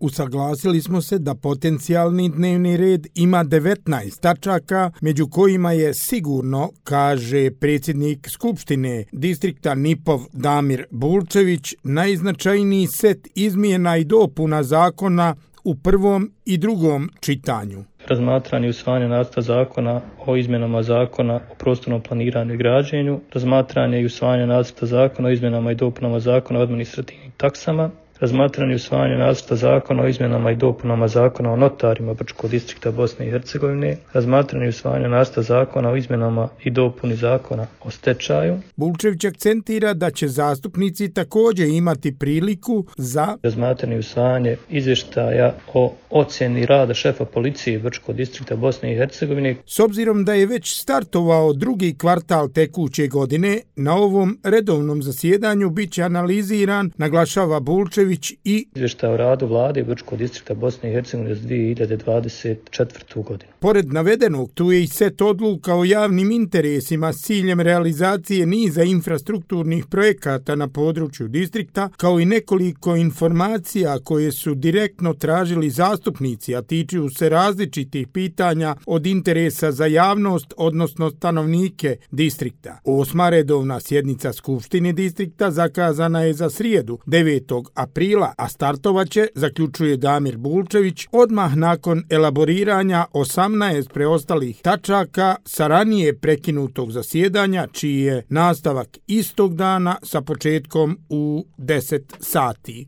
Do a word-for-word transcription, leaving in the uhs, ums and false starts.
Usaglasili smo se da potencijalni dnevni red ima devetnaest tačaka, među kojima je sigurno, kaže predsjednik Skupštine distrikta Nipov Damir Bulčević, najznačajniji set izmjena i dopuna zakona u prvom i drugom čitanju. Razmatranje i usvajanje nacrta zakona o izmjenama zakona o prostornom planiranju i građenju, razmatranje i usvajanje nacrta zakona o izmjenama i dopunama zakona o administrativnim taksama, razmatranje i usvajanje nacrta zakona o izmjenama i dopunama zakona o notarima Brčkog distrikta Bosne i Hercegovine, razmatranje i usvajanje nacrta zakona o izmjenama i dopuni zakona o stečaju. Bulčević akcentira da će zastupnici također imati priliku za razmatranje i usvajanje izvještaja o ocjeni rada šefa policije Brčkog distrikta Bosne i Hercegovine. S obzirom da je već startovao drugi kvartal tekuće godine, na ovom redovnom zasjedanju bit će analiziran, naglašava Bulčević, i izvještaj o radu vlade Brčkog distrikta Bosne i Hercegovine za dvije hiljade dvadeset četvrtu. godinu. Pored navedenog, tu je i set odluka o javnim interesima s ciljem realizacije niza infrastrukturnih projekata na području distrikta, kao i nekoliko informacija koje su direktno tražili zastupnici, a tiču se različitih pitanja od interesa za javnost, odnosno stanovnike distrikta. Osma redovna sjednica Skupštine distrikta zakazana je za srijedu, devetog aprila, a startovaće, zaključuje Damir Bulčević, odmah nakon elaboriranja osamnaest preostalih tačaka sa ranije prekinutog zasjedanja, čiji je nastavak istog dana sa početkom u deset sati.